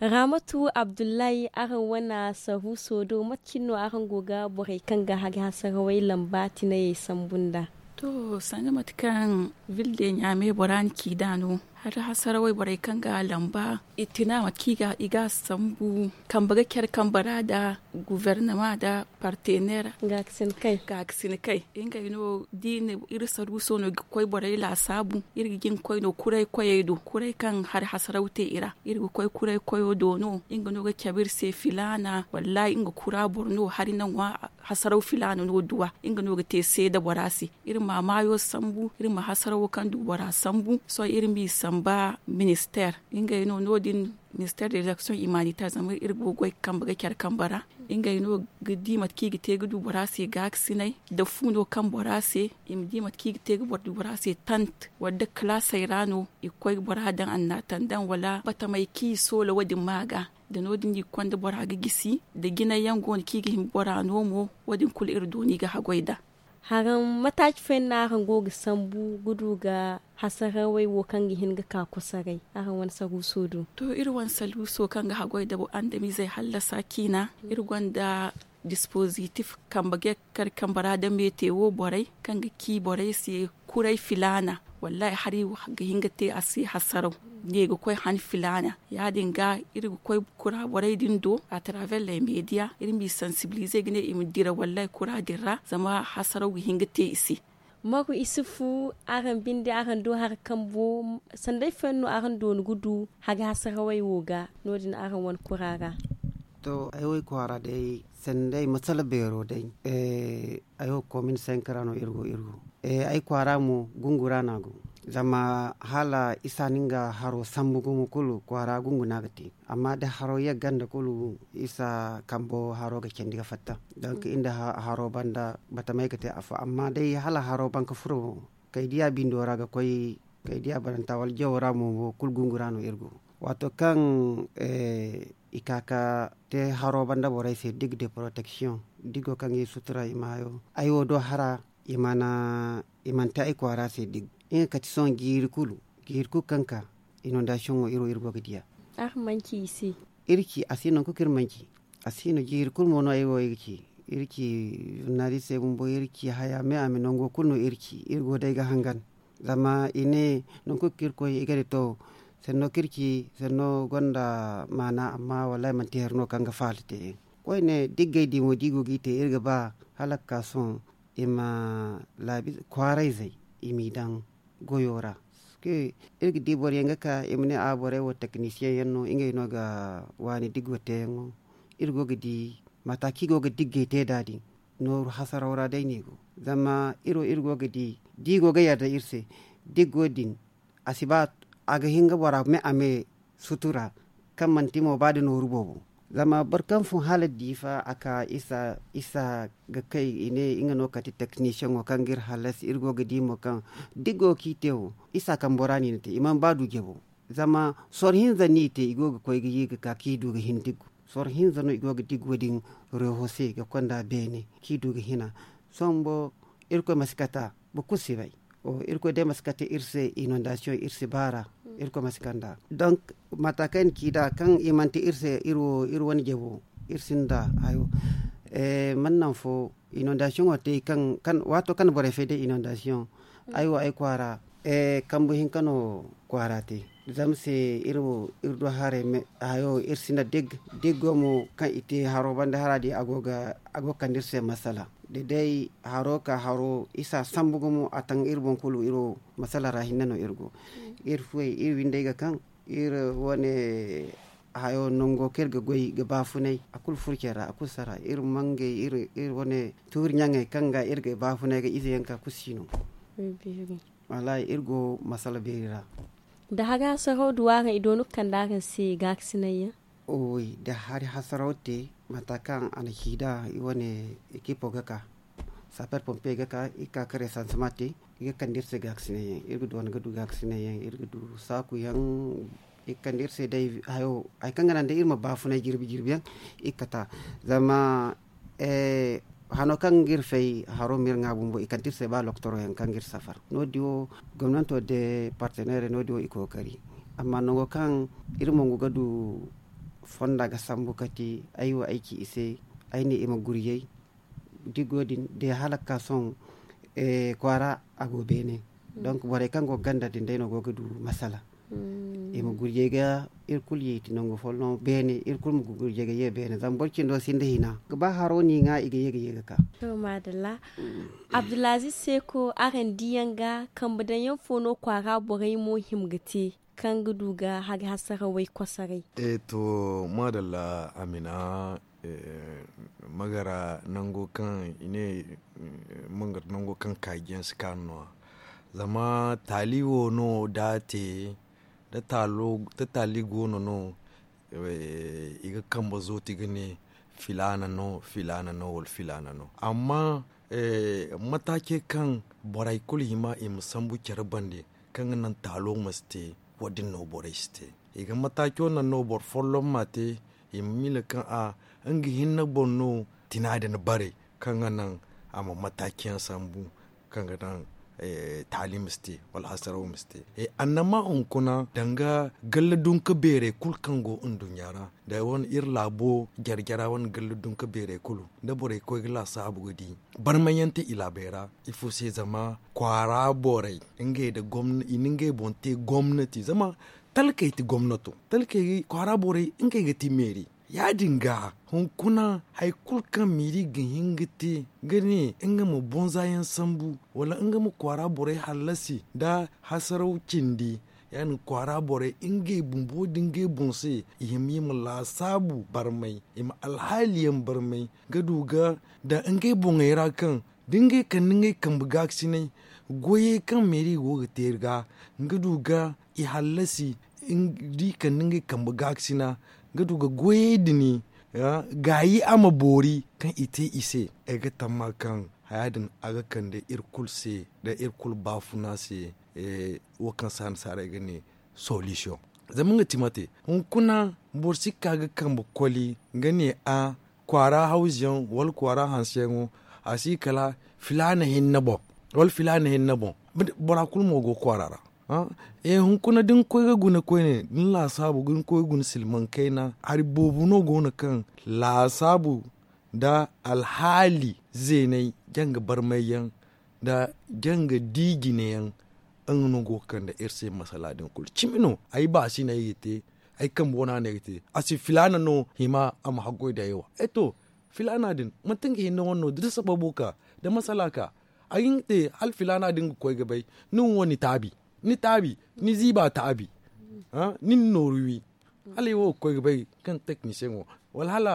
Raamatu abdullahi araŋ wane sahuuso do mate cine no araŋ go ga borey kaŋ ga hari hasarawey lamba tinayey sambu nd'a? To sanda mate kaŋ ville de ɲaame bora na ci nd'a no hari hasarawey borey kaŋ ga lamba i tina mate kaŋ i ga a sambu kambe ga care kambe ra nda guvernement nda partenaire gaakasinakey. Ngey no da i na iri saruuso no ga koy borey laasaabu iri ga jin ga koy no kuray koyey do kuray kaŋ hari hasaraw te i ra iri ga koy kuray koyo do no nga no ga cabe iri se filaana wallaahi nga kura boro no hari na ŋwa hasaraw filaana no duwa nga no ga te seeda bora se. Iri ma maayo sambu iri ma hasarawo kaŋ du bora sambu sohõ iri m'i samba minister ngey no no- din minister de l'action humanitaire zama iri go ga goy ga kambe ga care kambe ra. Ngey no ga di mate kaŋ i ga te ga du bora se gaakasinay nda fu no kaŋ bora se i ma di mate kaŋ i ga te ga boro du bora se tant wala nda kalaasey ra no i ga koy ga bora daŋ annatandaŋ wala batamey kaŋ i soola wo- din ma ga nda no- din no i ga konda bora ga gisi nda jinay yaŋ go no kaŋ i ga hima bora no mo wo- din kulu iri dooni ga haggoy nd'a. Haraŋ mataaci fooyaŋ no araŋ go ga sambu ga du ga hasarawey wo kaŋ ga hin ga ka kosoray araŋ wane saruuso do? To iri wane saruuso kaŋ ga haggoy nda andamizey hallasa ciina iri gonda dispozitif kambe ga kar kambe ra nda meete wo borey kaŋ ga ci borey se kuray filaana wallaahi hari ga hin ga te a se hasaraw ne ga koy han filaana. Ya- din ga iri ga koy kura borey din do à travers les media iri m'i sansibilize ga ne i ma dira wallaahi kura din ra zama hasaraw ga hin ga te i se. Magu isufu araŋ binde araŋ do hari kambo sanday fooyaŋ no araŋ dooni ga du hari hasarawey wo ga no- din araŋ wane kura ra? To ay wo ay kwaara day sanday masala beero day ay wo komin sanka ra no iri go iri go ay kwaara mo gungu ra no a go. Zama hala isa no nga haro sambu gumo kulu kwaara gungu no a ga te. Amma da haro yagga nda kulu isa kambo haro ga candi ga fatta. Donk iri nda haro banda batamay ga te afo amma day hala haro ban ga furo kay diya bindo ra ga koy kay diya baranta wala jawo ra mo kulu gungu ra no iri go. Waato kaŋ i ka ga te haro banda borey se digue de protection digo kaŋ ga i sutura i maayo ay wo do hara i mana te ay kwaara se digue. Nga kati sohõ jiiri kulu jiiri kulu kaŋ ka inondasiyoŋo iri wo iri go ga diya. Iri ci a si no nangu kulu kaŋ iri mana ci a si no jiiri kulu mo no ay wo ay ga ci. Iri ci zurnalistey bumbo iri ci haya me a ma nango kulu no iri ci iri go day ga hangan. Zama i ne nangu kulu kaŋ iri koy i ga ne to sanno kaŋ iri ci sanno gonda maana amma wallahi manti hari no kaŋ ga faala te. Koyne da iri ga ay di mo da i go ga i te iri ga ba hala ga ka sohõ i ma laabi kwaarayzey i m'i daŋ goyo ra. Iri ga di boro yaŋ ga ka i ma ne a borey wo teknisiyeŋ yaŋ no ngey no ga waani diggo teeyaŋo. Iri go ga di mata kaŋ i go ga diggey te nd'a din nooru hasaraw ra day no i go. Zama iri wo iri go ga di da i go ga yarda iri se diggo din a si ba a ga hin ga bora me a me sutura kaŋ manti mo ba da nooru boobo. Zama boro kaŋ fun hala diifa a ka isa ga kay i ne nga no kati teknisiyeŋo kaŋ ga iri hallasi iri go ga di mo kaŋ diggo kaŋ i te wo isa kaŋ bora no i na te i mana ba du jabo. Zama soro hinza no i te, i go ga koy ga ye ga ka kaŋ i du ga hin diggu. Soro hinza no i go ga diggo din reho se ga konda beene kaŋ i du ga hina. Sombo irkoy ma si kata boro kulu si bay. Irkoy day ma si kate iri se inondasiyoŋ iri si baara. Irkoy ma si kanda donk mata kaŋ i na ci nd'a kaŋ i mana te iri se iri wane jabo iri sinda hayo. Mana naŋ fo inondasiyoŋo te kaŋ waato kaŋ borey fay day inondasiyoŋ ay wo ay kwaara kambu hinka no kwaara te. Zama se iri wo iri du haray hayo iri sinda deg deggo mo kaŋ i te haro banda hara din a go ga kande iri se masala da day haro ka haro isa sambu gumo a taŋ iri boŋ kulu iri wo masala ra hinne no iri go. Iri fuwey iri windey ga kaŋ iri wane hayo nango kaŋ iri ga goy ga baafunay a kulu furo care ra a kulu sara iri mangey iri wane tuuri ɲaŋey kaŋ ga iri ga baafunay ga ize yaŋ ka kulu si no. Wallaahi iri go masala beeri ra. Da hari hasaraw du araŋ i doonu ga kande araŋ se gaakasinay yaŋ? Oy da hari hasaraw te mata kaŋ a na ci nd'a i wane ekipo ga ka saper pompe ga ka i ga ka ka resansema te. I ga kande iri se gaakasinay yaŋ iri ga doona ga du gaakasinay yaŋ iri ga du saaku yaŋ. I ga kande iri se day hayo hari kaŋ ga naŋ day iri ma baafunay jirbi jirbi yaŋ. I ga kata zama hano kaŋ ga iri fay haro ma iri ŋwa bumbo i kande iri se ba loktoro yaŋ kaŋ ga iri safar no- din wo gomnanto da parteneerey no- din wo i kookari. Amma nango kaŋ iri mongu ga du fonda ga sambu kate ay wo ay ci i se ay ne i ma guryey. Diggo din day hala ga ka sohõ kwaara a go beene. Donk borey kaŋ go ga ganda din day no go ga du masala. I ma gurjey ga iri kulu yeeti nangu folloŋ beene iri kulu ma gurjey ga ye beene zama boro cindo sinda hina ga ba haro no i ŋwa i ga ye ga ye ga ka. To maadalla. Abdulaziz seeko araŋ diyaŋ ga kambe daŋ yaŋ fo no kwaara borey mo hima ga te kaŋ ga du ga hari hasarawey kosoray? To maadalla amina. Magara nango kaŋ i ne mangara nango kaŋ kaajiyaŋ si kaanu no- ya zama taali wo no da a te da taali go no no i ga kambe zooti ga ne filaana no filaana no wala filaana no amma mataacey kaŋ borey kulu hima i ma sambu care bande kaŋ ga naŋ taalo ma si te. Wo- din no borey si te i ga mataaco naŋ no boro folloŋ ma te i ma miila kaŋ a nga hinne boŋ no tina din bare kaŋ ga naŋ a ma mataaci yaŋ sambu kaŋ ga naŋ taali ma si te wala hasaraw ma si te. Annama hunkuna danga galla dunka beerey kulu kaŋ go nduɲɲa ra da wane iri laabo jare-jara wane galla dunka beerey kulu da borey koy ga laasaabu ga di barmay yaŋ te i laabey ra. Ifo se zama kwaara borey ngey da gomna i na ngey boŋ te gomnati zama talkey ti gomnato talkey kwaara borey ngey ga ti meeri. Ya- din ga hunkuna hari kulu kaŋ meeri ga hin ga te ga ne nga ma bonza yaŋ sambu wala nga ma kwaara borey hallasi nda hasaraw cindi. Ya- din kwaara borey ngey bumbo da ngey boŋ se i hima i ma laasaabu barmay i ma alhaali yaŋ barmay ga du ga daŋ ngey boŋey ra kaŋ da ngey kande ngey kambe gaakasinay goyey kaŋ meeri go ga te iri ga nga du ga i hallasi da i kande ngey kambe gaakasina ga du ga goyey din gaayi a ma boori kaŋ i te i se. Ay ga tamma kaŋ haya din a ga kande iri kulu se da iri kulu baafuna se. Wo kaŋ se a nasaarey ga ne solution zama nga ti mate hunkuna boro si ka ga kambe koli ga ne a kwaara hawzu yaŋ wala kwaara hanse yaŋo a si kala filaana hinne boŋ wala filaana hinne boŋ. Bora kulu mo go kwaara ra. Hunkuna da ni koy ga guna koyne da ni laasaabu ga ni koy ga guna silmaŋ kayna hari boobo no go no kaŋ laasaabu nda alhaali zeeney janga barmay yaŋ nda janga di jine yaŋ. Nga no go ga kande iri se masala din kulu cimi no ay ba si no ay ga te ay kambe wana no ay ga te a si filaana no hima a ma haggoy da ay wa. Filaana din manti nga hinne wane no da sababo ka da masala ka a ga hin ga te hala filaana din ga koy ga bay ni wo ni taabi ni taabi ni ziiba taabi ni na nooru wi hala ay wo ga koy ga bay kaŋ teknisiyeŋo wala hala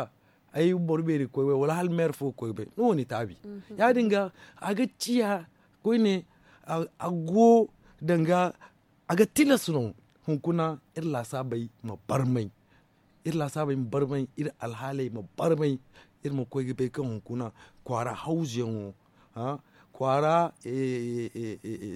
ay boro beeri ga koy ga bay wala hala meer fo ga koy ga bay ni wo ni taabi. Ya- din ga a ga ciya koyne a go danga a ga tilas no hunkuna iri laasaabey ma barmay iri laasaabey ma barmay iri alhaaley ma barmay iri ma koy ga bay kaŋ hunkuna kwaara hawzuyaŋo kwaara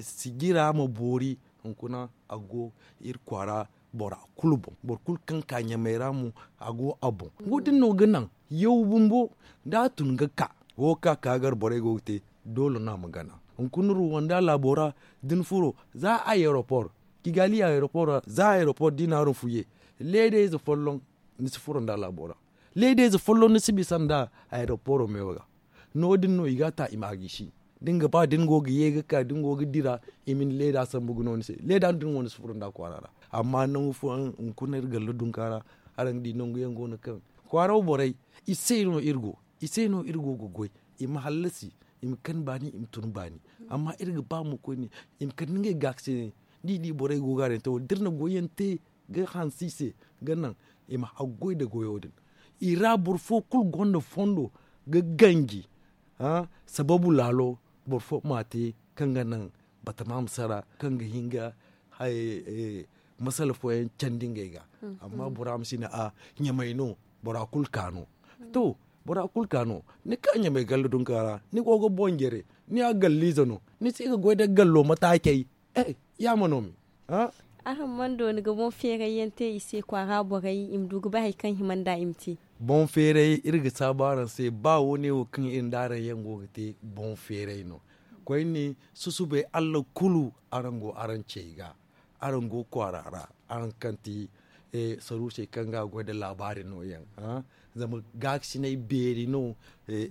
sijira ma boori hunkuna a go iri kwaara bora kulu boŋ. Boro kulu kaŋ ka ɲamey ra mo, a go a boŋ. Wo- din no ga naŋ yaw bumbo, da a tun ga ka wo ka ka gar borey go ga te, doole no a ma gana. Hunkuna ruwanda laabo ra, da ni furo za a aeroport, kigali aeroport ra, za a aeroport da i na haruŋ fuye, leedayze folloŋ ni si furo nda laabo ra. Leedayze folloŋ ni si bisa nda aeroport meewo ga. No- din no i ga a ta i ma a gisi. Da ni ga ba da ni go ga ye ga ka da ni go ga dira, i ma ni leeda sambu ga no ni se. Leeda din wo ni si furo nda kwaara ra. Amma nangu fooyaŋ hunkuna iri galla dunka ra, araŋ ga di nangu yaŋ go no kaŋ kwaara wo borey, i se no iri go i se no iri go ga goy. I ma hallasi, i ma kan baani, i ma tun baani. Amma iri ga ba mo koyne, i ma kande ngey gaakasinay. Da i di borey go ga araŋ te wo- din da iri na goyyaŋ te ga hanse i se, ga naŋ i ma haggoy nda goyo din. I ra boro fo kulu gonda fondo ga ganji, sababu laalo boro fo ma a te, kaŋ ga naŋ batama ma sara, kaŋ ga hin ga masala fooyaŋ candi ngey ga. Amma bora ma si ne a ɲamay no, bora kulu ka no. To, bora kulu ka no, ni ka ɲamay galla dunka ra, ni go ga boŋ jare, ni ya galliize no, ni si ga goy nda gallo mataacey. Yaama no me. Araŋ mana dooni ga boŋ feeray yaŋ te i se kwaara borey i ma du ga bay hari kaŋ hima nd'a i ma te? Boŋ feeray iri ga saabu araŋ se, ba wo- ne wo kaŋ iri nda araŋ yaŋ go ga te, boŋ feeray no. Koyne, susubay allah kulu, araŋ go araŋ cey ga, araŋ go kwaara ra, araŋ kaŋ ti saruusey kaŋ ga goy nda laabaari nooyaŋ. Zama gaakasinay beeri no.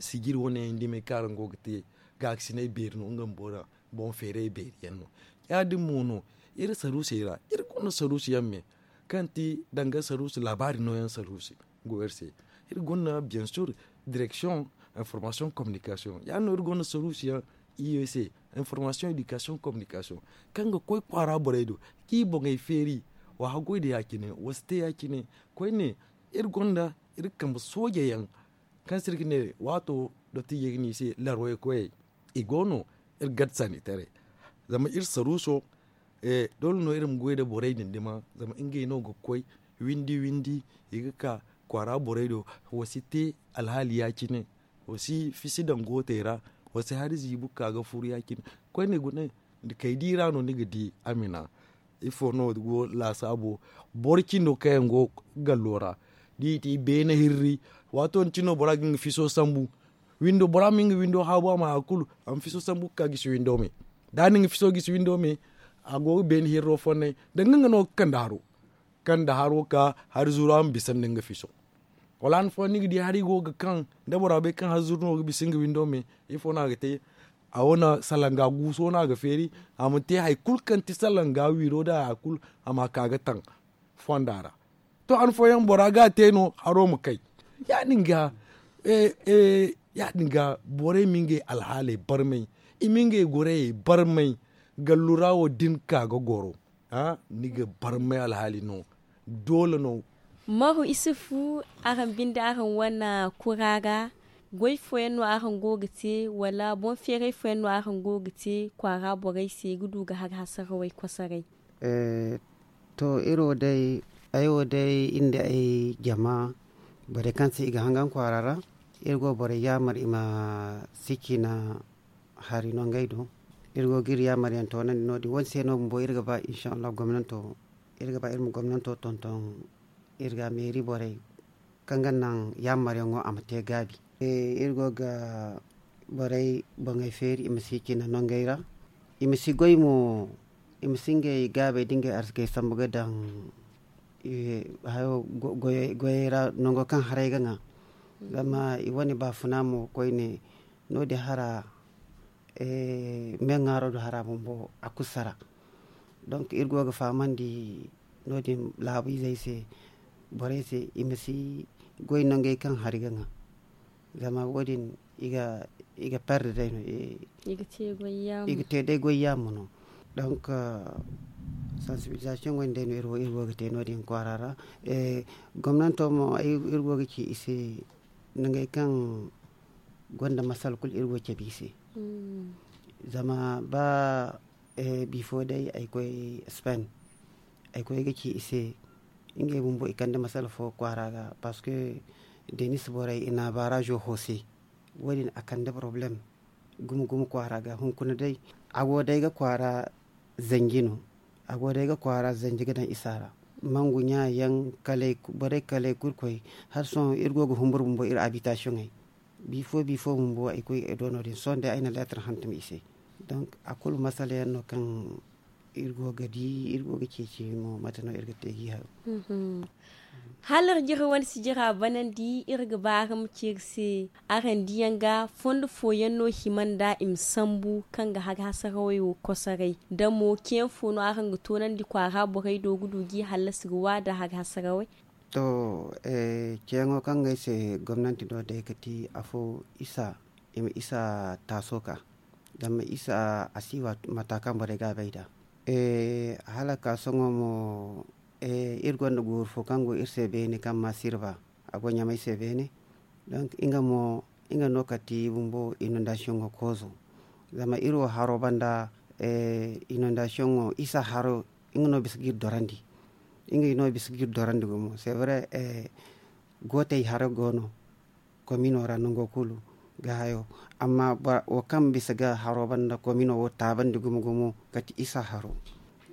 Sijiri wane yaŋ dimey kaŋ araŋ go ga te, gaakasinay beeri no nga bumbo ra. Boŋ feeray beeri yaŋ no. Ya- din mo no, iri saruusey ra iri gonda saruusu yaŋ me, kaŋ ti danga saruusu laabaari nooyaŋ saruusu go iri se. Iri gonda bien sûr, direction information communication, ya- din no iri gonda saruusu yaŋ, i se information éducation communication, kaŋ ga koy kwaara borey do, k'i boŋey feeri, wa haggoy nda ya- cine, wa si te ya- cine. Koyne, iri gonda iri kambe sooje yaŋ, kaŋ se iri ga ne waato dottijey ga ne i se larway koyey. I go no, iri gad sanitaray. Zama iri saruuso, doole no iri ma goy nda borey din dima, zama ngey no ga koy windi windi, i ga ka kwaara borey do. Wa si te alhaali ya- cine, wa si fisi daŋ gootey ra, wa si hari ziibu ga ka ga furu ya- cine. Koyne gune, kay di ra no ni ga di a mina. Ifo no go laasaabo? Boro cindo kaŋ yaŋ go gallo ra, da i ti beene hirri, waato din cine no bora ga nga fiso sambu. Windo, bora ma nga windo haabu a ma hari kulu, a ma fiso sambu ga ka gisi windo me. Da a na nga fiso gisi windo me, a go ga beene hirro fonnay, danga nga no ga kande haro. Kande haro ka hari zuru a ma bisa nda nga fiso. Wala han fooyaŋ ni ga di hari go ga kaŋ, da bora bay kaŋ hari zuru no ga bisa nga windo me, ifo no a ga te? A wane salanga guuso no a ga feeri, a ma te hari kulu kaŋ ti salanga wiiro nda hari kulu, a ma ka ga taŋ fonda ra. To, han fooyaŋ bora ga a te no haro ma kay. Ya- din ga, ya- din ga borey ma ngey alhaaley barmay, i ma ngey gorayey barmay. Gallu ra wo da ni ka ga goro, ni ga barmay alhaali no. Doole no. Maru isufu, araŋ binde araŋ wane kura ra, goy fooyaŋ no araŋ go ga te, wala boŋ feeray fooyaŋ no araŋ go ga te kwaara borey se ga du ga hari hasarawey kosoray? To, iri wo day, ay wo day, iri nda ay jama, borey kaŋ se i ga hangan kwaara ra, iri go borey yaamar i ma si ciina hari no ngey do. Iri go ga iri yaamar yaŋ toonandi no- din wane se no bumbo iri ga ba insha allah gomnanto, iri ga ba iri ma gomnanto tonton, iri ga meeri borey kaŋ ga naŋ yaamaryaŋo a ma te gaabi. Iri go ga borey boŋey feeri i ma si cina nongey ra, i ma si goy mo, i ma si ngey gaabey da ngey arzikey sambu ga daŋ hayo goyey ra, nango kaŋ haray ga ŋwa. Zama i wane baafuna mo koyne, no- din hara meeŋaaro do hara bumbo a kulu sara. Donk iri go ga fahamandi no- din laabu izey se, borey se i ma si goy nangey kaŋ hari ga ŋwa. Zama wo- din i ga perde day no, i ga te day goy yaamu no. Donk sansibilisasiyoŋ wo- din day no iri go ga te no- din kwaara ra. Gomnanto mo iri go ga ci i se, nangey kaŋ gonda masala kulu iri go ga cabe i se. Zama ba bifo day ay koy spain, ay koy ga ci i se, ngey bumbo i kande masala fo kwaara ga, parceque denis borey i na barazo hose. Wo- din a kande problème gumo gumo kwaara ga hunkuna day. A go day ga kwaara zanji no, a go day ga kwaara zanji ga daŋ isa ra. mangu ɲa yaŋ, borey kalay kurkoy. Hala sohõ iri go ga humbur bumbo iri abitasiyoŋey. Bifo bifo bumbo ay koy ay do no- din sohõ day ay na leetar hantum i se. Donk a kulu masala yaŋ no kaŋ iri go ga di iri go ga ceeci mo mate no iri ga te ga i hayo. Hala iri jira wane sijira banandi iri ga ba araŋ ma ci iri se. Araŋ diyaŋ ga fondo fooyaŋ no hima nda i ma sambu kaŋ ga haga hasarawey wo kosoray da mo ceeyaŋ fo no araŋ ga toonandi kwaara borey do ga du ga i hallasi ga wa nda haga hasarawey? To, ceeyaŋo kaŋ ga ay se gomnanti no day ga ti afo isa i ma isa taaso ka. Zama isa a si wa mata kaŋ borey ga a bay nd'a. Hala ka sohõ mo iri gonda gooru fo kaŋ go iri se beene kaŋ ma sirba a go ɲamay se beene. Donk nga no kate bumbo inondasiyoŋo koozo. Zama iri wo haro banda inondasiyoŋo isa haro nga no bisa ga iri dorandi. Nga no bisa ga iri dorandi gumo c'est vrai. Gootey haro go no komino ra nango kulu ga hayo. Amma wo kaŋ bisa ga haro banda komino wo taabandi gumo gumo kate isa haro.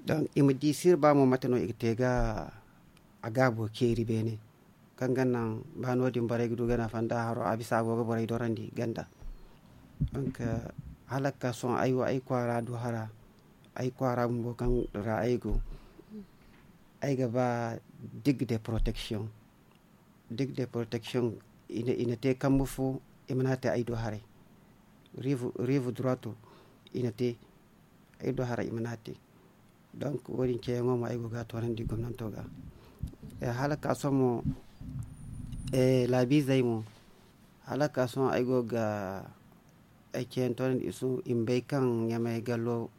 Donk i ma di sirba mo mate no i ga te ga a gaabo ceeri beene. Kaŋ ga naŋ ba no- din borey ga du ga nafa nda haro a bisa a go ga borey dorandi ganda. Donk hala ga ka sohõ ay wo ay kwaara du hara ay kwaara bumbo kaŋ ra ay go. Ay ga ba digue de protection digue de protection i na te kambe fo i mana te ay do haray. Rive droito i na te ay do haray i mana te. Donk wo- din ceeyaŋo mo ay go ga a toonandi gomnanto ga. Hala ka sohõ mo laabiizey mo hala ka sohõ ay go ga ay ceeyaŋ toonandi i ma bay kaŋ ɲamay gallo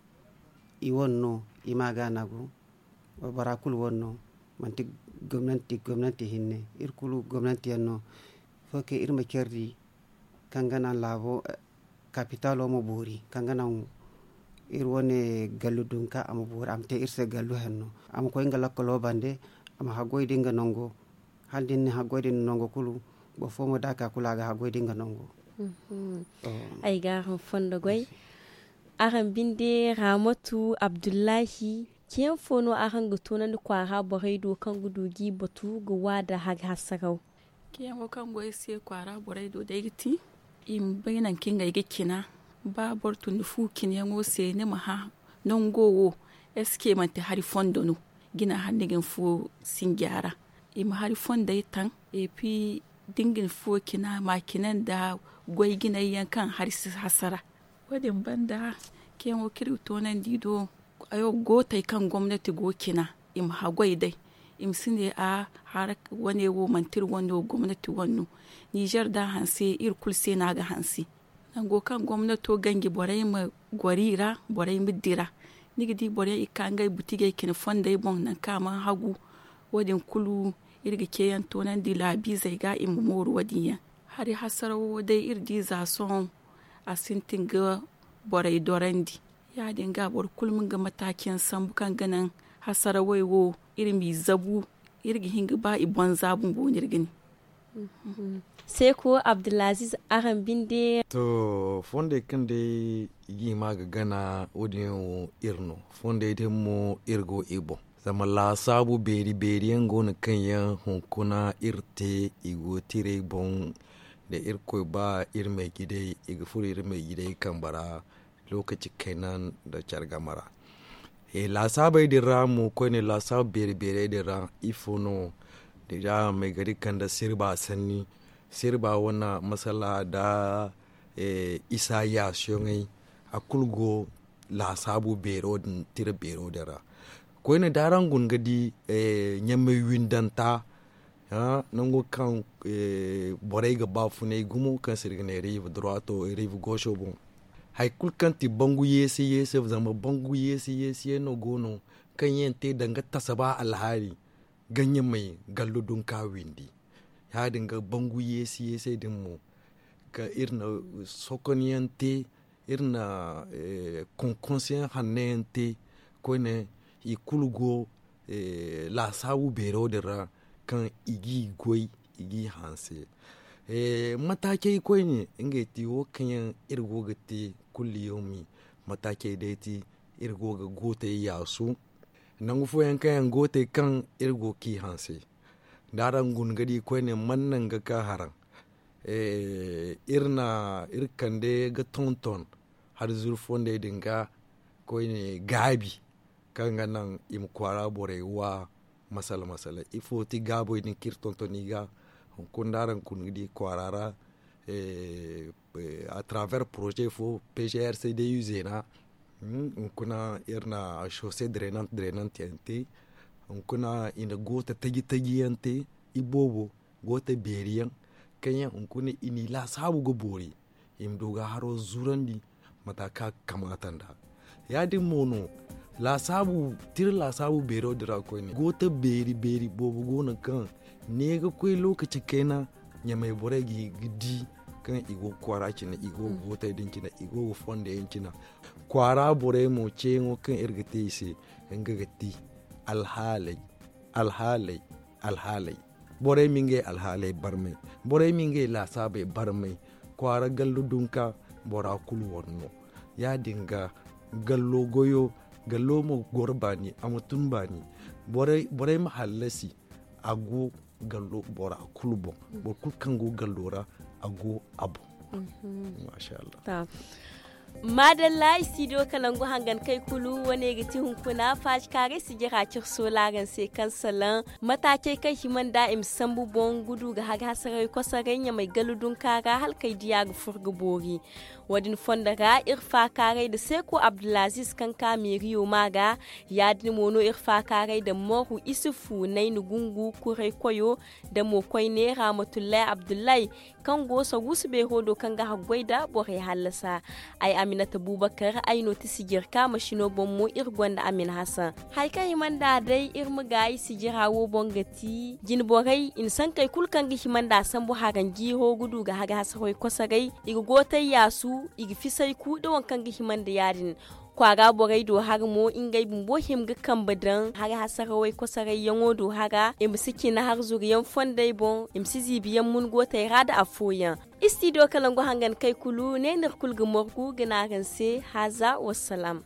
i wane no i ma ga nagu. Bora kulu wane no manti gomnanti hinne iri kulu gomnanti yaŋ no. Fo kaŋ iri ma care di kaŋ ga naŋ laabo kapitalo ma boori kaŋ ga naŋ iri wane gallu dunka a ma boori a ma te iri se gallu henno a ma koy nga lakkalo bande. A ma haggoy da nga nango hala da ni na haggoy da ni na nango kulu boro fo mo da a ka kulu a ga haggoy da nga nango. Ay ga araŋ fondo goy. Araŋ binde ramatu abdullahi ceeyaŋ fo no araŋ ga toonandi kwaara borey do kaŋ ga du ga i batu ga wa nda hari hasaraw? Ceeyaŋo kaŋ go ay se kwaara borey do day ga ti i ma bay nangu kaŋ ngey ga cina. Ba boro tun da fu cinayaŋo se ni ma hã nango wo eske manti hari fondo no? Jina hala ni ga ni fuwo sinja ra i ma hari fondey taŋ. Epi da ni ga ni fuwo cina ma a cina nda goy jinay yaŋ kaŋ hari si hasara. Wo- din banda ceeyaŋo kaŋ iri ga toonandi do gootey kaŋ gomnati go cina i ma haggoy day. I ma si ne a hara wane wo manti iri wane no gomnati wane no. Nizer da a hanse iri kulu se no a ga hanse. Nango kaŋ gomnato ganji borey ma goro i ra borey ma dira. Ni ga di boro yaŋ i ga ka ngey butijey cina fondey boŋ nangu kaŋ a mana hagu. Wo- din kulu iri ga ceeyaŋ toonandi laabiizey ga i ma mooru wo- din yaŋ. Hari hasarawo day iri di za sohõ a sintin ga borey dorandi. Ya- din ga boro kulu ma nga mataaci yaŋ sambu kaŋ ga naŋ hasarawey wo iri m'i zabu. Iri ga hin ga ba i boŋ za bumbo no iri ga ne. Seeko abdulaziz, araŋ binde. To, fondey kaŋ day i ga hima ga gana wo- din yaŋ wo iri no. Fondey din mo iri go i boŋ. Zama laasaabu beeri beeri yaŋ go no kaŋ yaŋ hunkuna iri te i go tiray boŋ. Da irkoy ba iri meejidey i ga furo iri meejidey kambe ra. Lookaci kayna nda care game ra. Laasaabey din ra mo koyne laasaabu beeri beerey din ra ifo no? Deeza ma ay ga di kande sirba sanni. Sirba wane masala nda isa yaasiyoŋey a kulu go laasaabu beero din tira beero din ra. Koyne da araŋ guna ga di ɲamey windanta nango kaŋ borey ga ba funay gumo kaŋ se iri ga ne riive durwato riive gooso boŋ. Hari kulu kaŋ ti bangu yeese yeese zama bangu yeese yeese yaŋ no go no kaŋ yaŋ te danga tasaba alhaali ga ɲamey gallo dunka windi. Ya- din ga bangu yeese yeese din mo ka iri na sokonyaŋ te iri na konkonseyaŋ hanno yaŋ te koyne i kulu go laasaabu beero din ra kaŋ i g'i goy i g'i hanse. Mataacey koyne ngey ti wo kaŋ yaŋ iri go ga te kulli yawmi. Mataacey day ti iri go ga gootey yaasu. Nangu fooyaŋ kaŋ yaŋ go ga te kaŋ iri go ga ci hanse, da araŋ guna ga di koyne man naŋ ga ka haraŋ. Iri na iri kande ga tonton hari zuru fondey din ga koyne gaabi kaŋ ga naŋ i ma kwaara borey wa. Masala masala ifo ti gaabey din kaŋ iri tonton i ga hunkuna da araŋ guna ga di kwaara ra. A travers projet fo pgrc de uze na hunkuna iri na chaussée drainante drainante yaŋ te. Hunkuna i na goota taji taji yaŋ te iboobo goota beeri yaŋ kaŋ yaŋ hunkuna i n'i laasaabu ga boori i ma du ga haro zurandi mata kaŋ a ga kamaata nd'a. Ya- din mo no laasaabu tira laasaabu beero din ra koyne goota beeri beeri boobo go no kaŋ ne ga koy lookaci kayna ɲamey borey ga di kaŋ i go ga kwaara cine i go ga gootey din cine i go ga fondey yaŋ cine. Kwaara borey mo ceeyaŋo kaŋ iri ga te i se nga ga ti alhaaley alhaaley alhaaley. Borey ma ngey alhaaley barmay, borey ma ngey laasaabey barmay. Kwaara gallu dunka bora kulu wane no. Ya- din ga gallo goyo gallo ma goro baani a ma tun baani. Borey ma hallasi a go gallo bora kulu boŋ. Boro kulu kaŋ go gallo ra a go a boŋ. Maadalla i si do ka nangu hangan kay kulu wane ga ti hunkuna faaji kaaray sijira cire soolaaraŋ se kaŋ salaŋ mataacey kaŋ hima nda i ma sambu boŋ ga du ga haga hasaray kosoray ɲamay gallu dunka ra hala kay diya ga fur ga boori. Wo- din fondo ra iri faakaaray nda seeko abdulaziz kaŋ ka meeriyo ma ga. Ya- din mo no iri faakaaray nda moru isufu nayna gungu kuray koyo nda mo koyne rahamatullahi abdullahi kaŋ go saguusu beero do kaŋ ga haggoy nda borey hallasa. Ay aminata bubakar ay no ti sijirka masino boŋ mo iri gonda amin hasan. Hari kaŋ hima nda day iri ma gaayi sijira wo boŋ ga ti jine borey i na sankey kulu kaŋ ga hima nda sambu haranjiiro ga du ga haga hasaray kosoray i ga gootay yaasu i ga fisay ku nda waŋ kaŋ ga hima nda ya- din. Kwaara borey do hara mo ngey bumbo hima ga kambe daŋ hara hasarawey kosoray yaŋo do hara i ma si cina harzuru yaŋ fondey boŋ i ma si ziibi yaŋ mun gootey ra nda afooyaŋ. Istido ka nangu hangan kay kulu ne no iri kulu ga morgu ga ne araŋ se haaza wassalaam.